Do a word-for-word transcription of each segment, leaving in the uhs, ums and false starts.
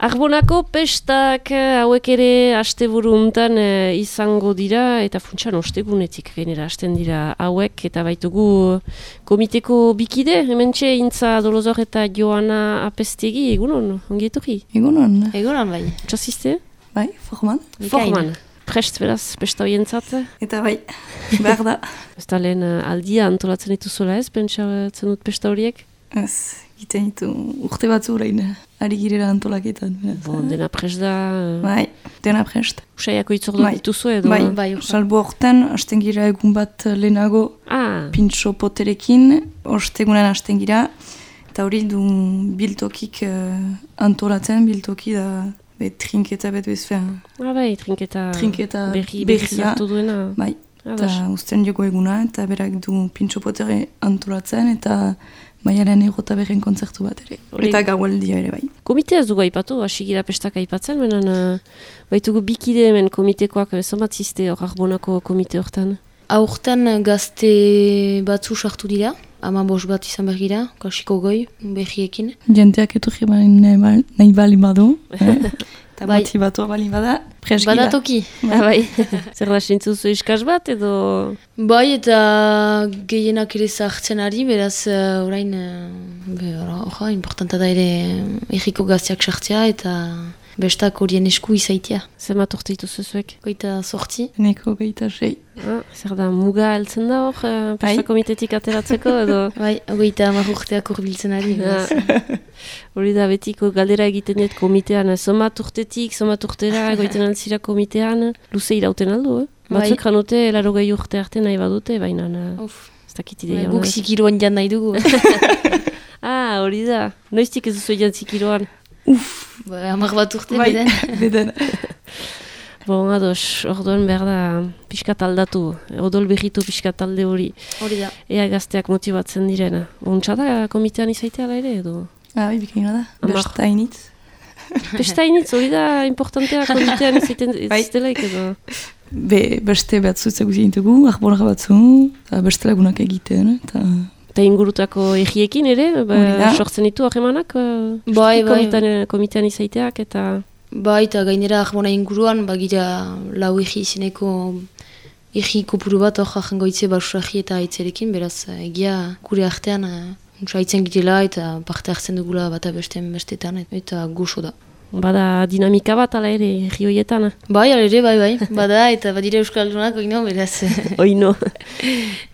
Arbonako pestak hauek ere asteburu untan e, izango dira eta funtsan ostegunetik gainera hasten dira hauek eta baitugu komiteko bikide, hementxe Intza Dolozor eta Joana Apestegi, egunon, ongi etorri? Egunon. Egunon bai. Txasizte? Bai, forman. Forman. Prest beraz, pesta hoientzat? Eta bai, behar da. Ez da lehen aldia antolatzen dituzuela ez, pentsatzen dut pesta horiek? Ez, egiten ditu urte batzu orain, ari girela antolaketan. Bon, dena prest da... Bai, dena prest. Usaiako itzordu bai. dituzu edo? Bai, bai. Salbo horten, hasten gira egun bat lehenago ah. pintxo poterekin, ostegunan hasten gira, eta hori du biltokik uh, antolatzen, biltoki da be, trinketa bet bezfean. Ah bai, trinketa, trinketa berri, berri zartu duena. Bai, eta usten jogo eguna, eta berak du pintxo potere antolatzen, eta Maiaren egota berren kontzertu bat ere. Ori. Eta gaualdia ere bai. Komitea ez dugu aipatu, hasi gira pestak aipatzen, benen uh, baitugu bikide hemen komitekoak, zonbat ziste hor Arbonako komite hortan? Aurten gazte batzu sartu dira, ama bos bat izan bergira, kasiko goi, berriekin. Jenteak etorri nahi, nahi bali badu, eh? Eta bai. Motibatua bali bada, presgira. Badatoki. Ba, bai. Zer da sintzuzu iskaz bat edo... Bai, eta gehienak ere zahartzen ari, beraz uh, orain, uh, orra, importanta da ere erriko gazteak sartzea eta bestak horien esku izaitia. Zemat urte dituzu zuek? Goita sortzi. Neko goita sei. Ah, zer da, muga heltzen da hor, uh, pesta komitetik ateratzeko edo? Bai, goita hamar urteak urbiltzen ari. Hori da betiko galdera egiten dut komitean, zomat urtetik, zomat urtera, goiten altzira komitean, luze irauten aldo, eh? Batzuk janute, laro gehi urte arte nahi badute, baina ez dakit ideia. Guk zikiroan jan nahi dugu. Ah, hori da. Noiztik ez duzu jan zikiroan? Uff. Hamar bat urte, bai, beden. beden. Bon, ados, orduan behar da pixkat aldatu, odol berritu pixkat alde hori. Hori da. Ea gazteak motibatzen direna. Ontsa da komitean izaitea ala ere, edo? Ah, bai, bikaina da. Besta initz. Besta initz, hori da importantea komitean izaiten iztelaik, edo? Be, beste batzu ezagutzen gintugu, Arbonak batzu, eta beste lagunak egiten, eta... Eta ingurutako egiekin ere, ba, sortzen ditu ahemanak, bai, bai. Komitean izaiteak, eta... Bai, eta gainera Arbona inguruan, bagira lau egi izeneko egi kopuru bat hor jango itze basuragi eta aitzerekin, beraz egia gure artean haitzen girela eta parte hartzen dugula bata bestean bestetan, eta goxo da. Bada dinamika bat ala ere herri horietan? Bai, ala ere, bai, bai. Bada, eta badire Euskaldunak, oino, beraz. Oino.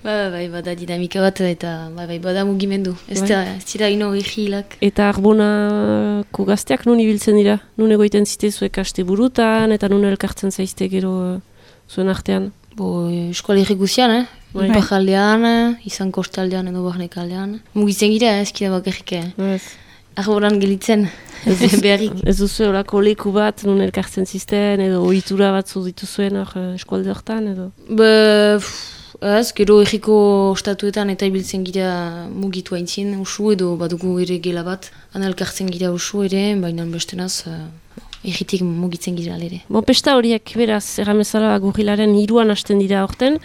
Bai, bai, bada dinamika bat, eta bai, bai, bada mugimendu. Ez da, ez dira ino herri hilak. Eta Arbonako gazteak nun ibiltzen dira? Nun egoiten zite zuek aste burutan, eta nun elkartzen zaizte gero zuen artean? Bo, Euskal Herri guzian, eh? Bai. Ipajaldean, izan kostaldean edo barnekaldean. Mugitzen gira, ez kira bakarrik. Ez. Arbonan gelitzen, beharrik. Ez duzu horako leku bat, nun elkartzen zizten, edo ohitura batzu dituzuen hor eskualde hortan, edo? Be, ez, gero erriko ostatuetan eta ibiltzen gira mugitu haintzin, usu edo badugu ere gela bat. Han elkartzen gira usu ere, baina bestenaz, erritik mugitzen gira ere. Bon, pesta horiek, beraz, erramezala gurrilaren hiruan hasten dira horten,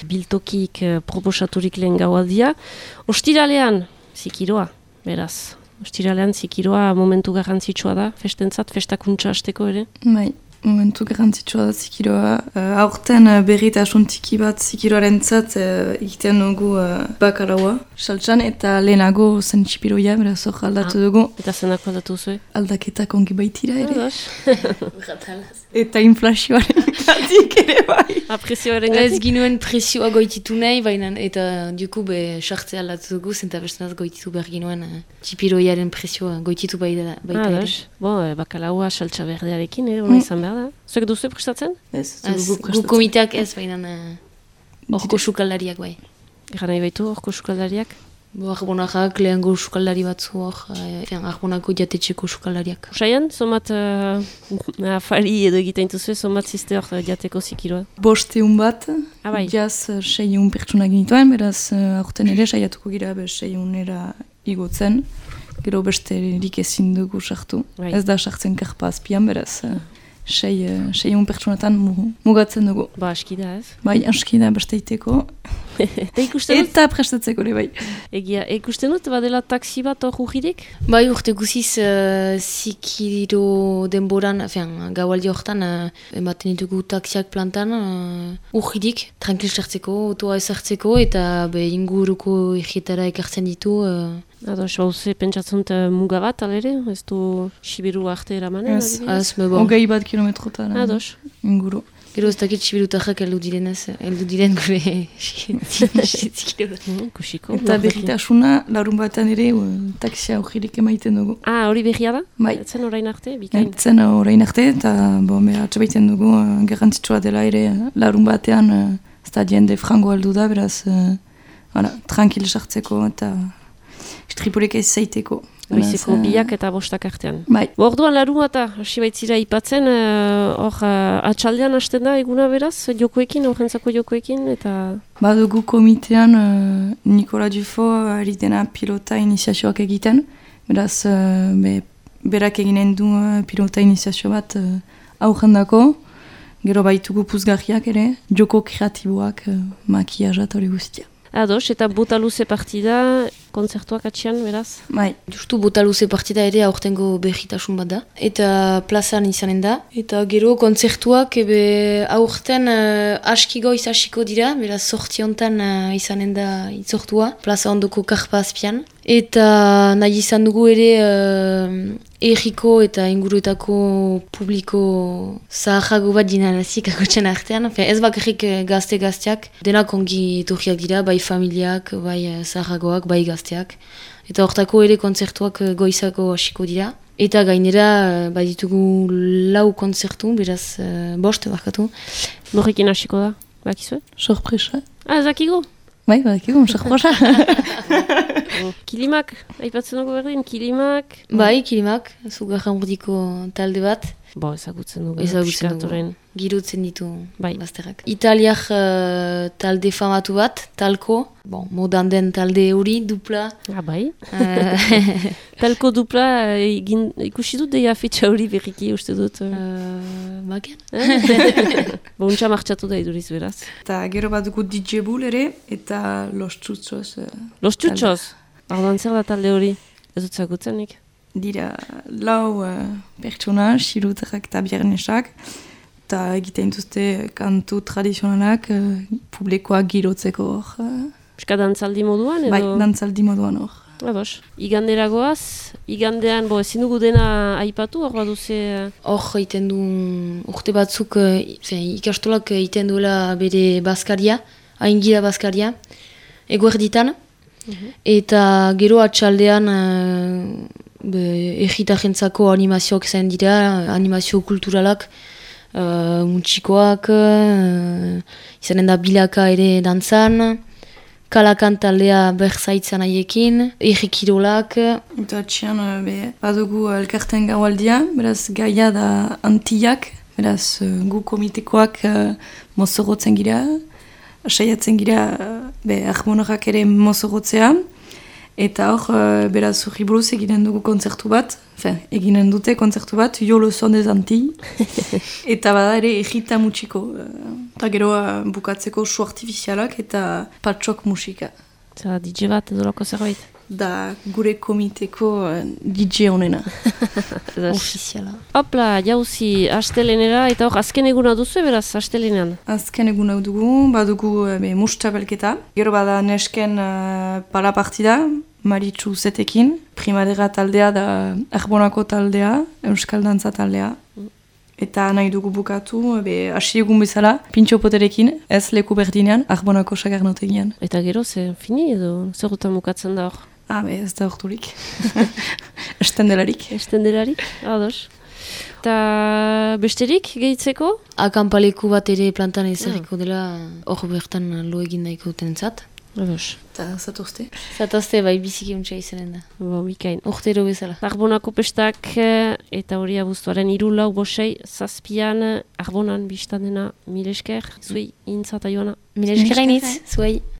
biltokik proposaturik lehen gaualdia. Ostiralean, zikiroa, beraz. Ostiralean zikiroa momentu garrantzitsua da, festentzat, festakuntza hasteko ere? Bai, momentu garrantzitsua da zikiroa. Uh, aurten uh, berritasun txiki bat zikiroaren zat uh, egiten dugu uh, bakaraua. Saltsan eta lehenago zen txipiroia, beraz hor aldatu ah, dugu. Eta zenako aldatu zuen? Aldaketak ongi baitira ere. Ados. Eta inflazioaren gatik ere bai. A presioaren gatik? Ez ginuen presioa goititu nahi, baina eta duku be sartze aldatu dugu, zenta bestenaz goititu behar ginuen uh, txipiroiaren presioa goititu baita, baita ere. Ados. Bo, e, bakalaua saltsa berdearekin, eh, hona izan behar da. Zuek duzu prestatzen? Ez, gu komiteak ez, baina horko uh, sukaldariak bai. Egan nahi baitu horko sukaldariak? Bo, Arbonakak lehengo sukaldari batzu hor, eh, Arbonako jatetxeko sukaldariak. Usaian, somat uh, afari edo egiten duzu, somat ziste hor jateko zikiroa? Bosteun bat, ah, bai. jaz uh, seiun pertsona ginituen, beraz uh, aurten ere saiatuko gira be seiunera igotzen, gero beste erik ezin dugu sartu. Bai. Ez da sartzen karpa azpian, beraz uh, sei, uh, seiun pertsonatan mugatzen dugu. Ba, aski da ez? Bai, aski da beste iteko. Eta ikusten dut? Eta prestatzeko ere bai. Egia, ikusten dut, badela taksi bat hor urririk? Bai, urte guziz, uh, zikiro denboran, fean, gaualdi horretan, uh, ematen ditugu taksiak plantan, uh, urridik, tranquil sartzeko, otoa ezartzeko, eta be inguruko egietara ekartzen ditu. Uh, Ados, hauze, pentsatzen dut muga bat, alere? Ez du Sibiru arte eramanen? Ez, az, me bon. hogei bat kilometrotan Ados. inguru. Gero ez dakit sibirutarrak heldu direnez, heldu diren gure zikiro. Kusiko. Eta berritasuna, larun batean ere, uh, taksia urririk emaiten dugu. Ah, hori berria da? Bai. Etzen orain arte, bikain? Etzen orain arte, eta bo, atxabaiten dugu, uh, garrantzitsua dela ere, uh, larun batean, uh, ez da jende frango aldu da, beraz, uh, voilà, tranquil sartzeko, eta istripurik ez zaiteko. Goizeko biak eta bostak artean. Bai. Orduan larun eta hasi baitzira ipatzen, hor uh, atxaldean hasten da eguna beraz, jokoekin, horrentzako jokoekin, eta... Badugu komitean uh, Nikola Dufo ari dena pilota iniziazioak egiten, beraz uh, be, berak eginen du uh, pilota iniziazio bat uh, aurrendako, gero baitugu puzgarriak ere, joko kreatiboak, uh, makiajat hori guztia. Ados, eta bota luze partida, kontzertuak atxian, beraz? Bai. Justu bota luze partida ere aurtengo berritasun bat da. Eta plazan izanen da. Eta gero kontzertuak ebe aurten uh, aski goiz hasiko dira, beraz sorti hontan uh, izanen da itzortua, plaza ondoko karpa azpian. Eta nahi izan dugu ere uh, erriko eta inguruetako publiko zaharrago bat dinarazik akotxen artean. Fe, ez bakarrik gazte-gazteak, denak ongi etorriak dira, bai familiak, bai zaharragoak, bai gazteak. Eta hortako ere kontzertuak goizako hasiko dira. Eta gainera bai ditugu lau kontzertu, beraz uh, bost barkatu. Norrekin hasiko da, bakizue? Sorpresa. Ah, zakigo? Bai, bakigu, sorpresa. Kilimak, aipatzen dugu berdin, Kilimak... Bai, Kilimak, zugarran urdiko talde bat. Bo, ezagutzen dugu. Ezagutzen dugu. Girotzen ditu bai. bazterrak. Italiak uh, talde famatu bat, talko. Bon, modan den talde hori, dupla. Ah, bai. Uh, talko dupla, egin, ikusi dut deia fetxa hori berriki uste dut. Uh, Maken? Bo, untxa martxatu da iduriz beraz. Eta gero bat dugu D J Bull ere, eta Los Txutxoz. Uh, Los Txutxoz? Ardoan zer da talde hori? Ez dut zagutzenik? Dira lau uh, pertsona, xirutarrak eta biernesak, eta egiten duzte kantu tradizionalak uh, publikoak girotzeko hor. Uh, Euska dantzaldi moduan edo? Bai, dantzaldi moduan hor. Ados. Igandera goaz, igandean, bo, ezin dugu dena aipatu, hor baduze... Hor egiten du urte batzuk, zen, ikastolak egiten duela bere bazkaria, haingira bazkaria, eguerditan, uh-huh. Eta gero atxaldean uh, egitajentzako animazioak zen dira, animazio kulturalak, uh, muntxikoak, uh, izanen da bilaka ere dantzan, kalakan taldea berzaitzan haiekin, egikirolak. Eta atxian, be, badugu elkarten gaualdia, beraz gaia da antiak, beraz gu komitekoak uh, mozorotzen gira, saiatzen gira, be, ahmonorak ere mozorotzea, eta hor, uh, beraz, urri buruz eginen dugu kontzertu bat, fe, eginen dute kontzertu bat, Jo le son des Antilles, eta bada ere egita mutxiko, eta uh, gero uh, bukatzeko su artifizialak eta patxok musika. Zer, D J bat edo loko zerbait? Da gure komiteko uh, D J honena. Ofiziala. Hopla, jauzi, astelenera, eta hor, azken eguna duzu, beraz, astelenean? Azken eguna dugu, badugu be, mustabelketa. Gero bada nesken uh, pala partida, Maritxu zetekin. Primadera taldea da Arbonako taldea, Euskal Dantza taldea. Eta nahi dugu bukatu, be, hasi egun bezala, pintxo poterekin, ez leku berdinean, Arbonako sagarnotegian. Eta gero, ze fini edo, zerutan bukatzen da hor? Ah, be, ez da horturik. Estendelarik. Estendelarik, ados. Eta besterik gehitzeko? Akampaleku bat ere plantan ezarriko dela, hor bertan lo egin nahiko dutenentzat. Ados. Eta zatozte? Zatozte bai biziki untsa izanen da. Bo, bikain. Urtero bezala. Arbonako pestak eta hori abuztuaren hiru lau bosei zazpian Arbonan biztan dena mil esker, zuei intzata joana. Mil esker hainitz, zuei.